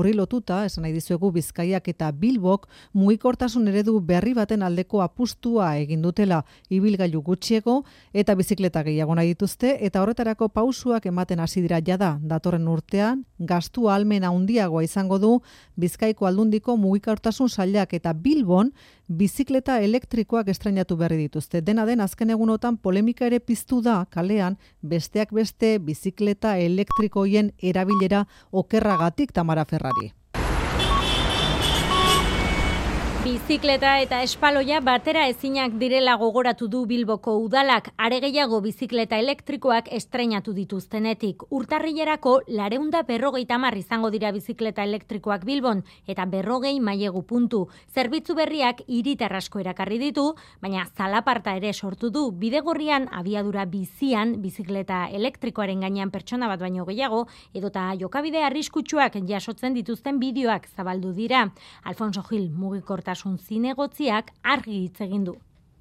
horri lotuta, esan nahi dizuegu Bizkaiak eta Bilbok mugikortasun eredu berri baten aldeko apustua egin dutela, ibilgailu gutxiego eta bizikleta gehiago nahi dituzte, eta horretarako pausuak ematen hasi dira jada. Datorren urtean, gastu ahalmen handiagoa izango du Bizkaiko Aldundiko mugikortasun sailak, eta Bilbon bizikleta elektrikoak estrainatu berri dituzte. Dena den, azken egunotan polemika ere piztu da kalean, besteak beste bizikleta elektrikoien erabilera okerragatik. Tamara Ferrari. Bizikleta eta espaloia batera ezinak direla gogoratu du Bilboko udalak, are gehiago bizikleta elektrikoak estreinatu dituztenetik. Urtarrilerako 450 izango dira bizikleta elektrikoak Bilbon, eta 40 mailegu puntu. Zerbitzu berriak hiritar asko erakarri ditu, baina zalaparta ere sortu du. Bidegorrian abiadura bizian bizikleta elektrikoaren gainean pertsona bat baino gehiago, edota jokabide arriskutsuak jasotzen dituzten bideoak zabaldu dira. Alfonso Gil mugikortasun zinegotziak argi hitz egin du.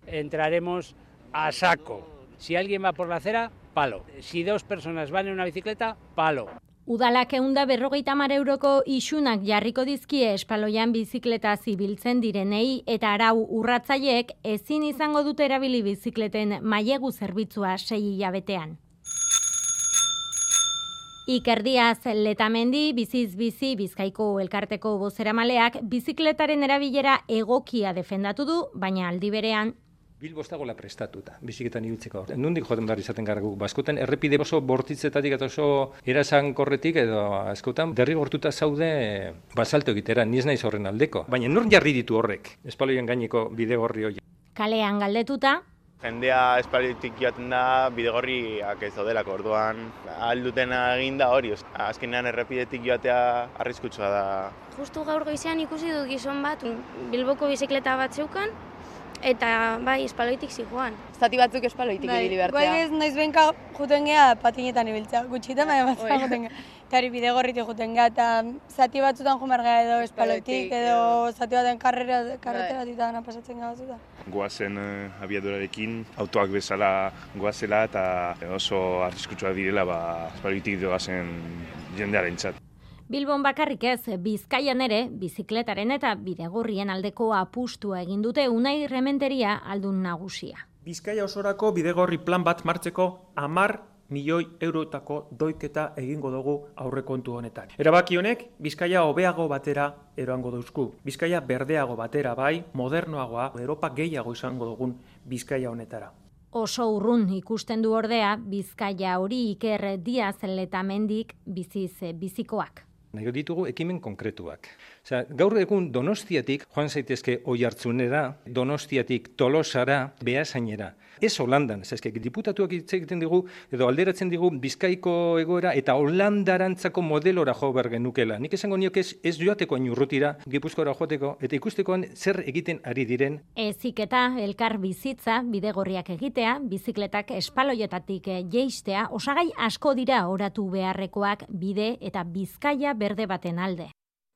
Entraremos a saco. Si alguien va por la acera, palo. Si 2 personas van en una bicicleta, palo. Udalak 150 euroko isunak jarriko dizkie espaloian bizikleta zibiltzen direnei, eta arau urratzaileek ezin izango dute erabili bizikleten mailegu zerbitzua 6 hilabetean. Iker Diaz Letamendi, Biziz Bizi Bizkaiko elkarteko bozeramaleak bizikletaren erabilera egokia defendatu du, baina aldi berean Bilbo ez dagoela prestatuta, bizikletan ibiltzeko. Nondik joaten behar izaten gara guk, askotan errepide oso bortitzetatik eta oso erasankorretik edo askotan derrigortuta zaude basalto egitera, ni ez naiz horren aldeko. Baina nor jarri ditu horrek, espaloien gaineko bidegorri hori. Kalean galdetuta, jendea espaloitik joaten da bidegorriak ez daudelako, orduan alduten eginda hori. Azkenean errepidetik joatea arriskutsua da. Justu gaur goizean ikusi dut gizon bat, Bilboko bizikleta bat zeukan, eta bai, espaloitik zijoan. Zati batzuk espaloitik ibili behartzea. Bai, ez noiz benka juten geha patinetan ibiltzea, gutxitan baina batzua juten geha. Eta hori bidegorritik juten geha, eta zati batzutan jumar geha edo espaloitik, edo zati baten karreteratik pasatzen geha batzuta. Goazen abiadurarekin, autoak bezala goazela eta oso arriskutsua direla espaloitik doazen jendearentzat. Bilbon bakarrik ez, Bizkaian ere, bizikletaren eta bidegorrien aldeko apustua egin dute Unai Rementeria aldun nagusia. Bizkaia osorako bidegorri plan bat martzeko 10 milioi eurotako doiketa egingo dugu aurrekontu honetan. Erabaki honek, Bizkaia hobeago batera eroango dauzku. Bizkaia berdeago batera bai, modernoagoa, Europa gehiago izango dugun Bizkaia honetara. Oso urrun ikusten du ordea, Bizkaia hori Iker Diaz Letamendik Biziz Bizikoak. Nahi ditugu ekimen konkretuak. Gaur egun Donostiatik joan zaitezke Oiartzunera, Donostiatik Tolosara, Beasainera. Ez Holandan, diputatuak hitz egiten digu, edo alderatzen digu Bizkaiko egoera eta Holandarantzako modelora jo behar genukela. Nik esango nioke ez joateko hain urrutira, Gipuzkoara joateko, eta ikustekoan zer egiten ari diren. Eziketa, elkar bizitza, bidegorriak egitea, bizikletak espaloietatik jeistea, osagai asko dira oratu beharrekoak bide eta Bizkaia berde baten alde.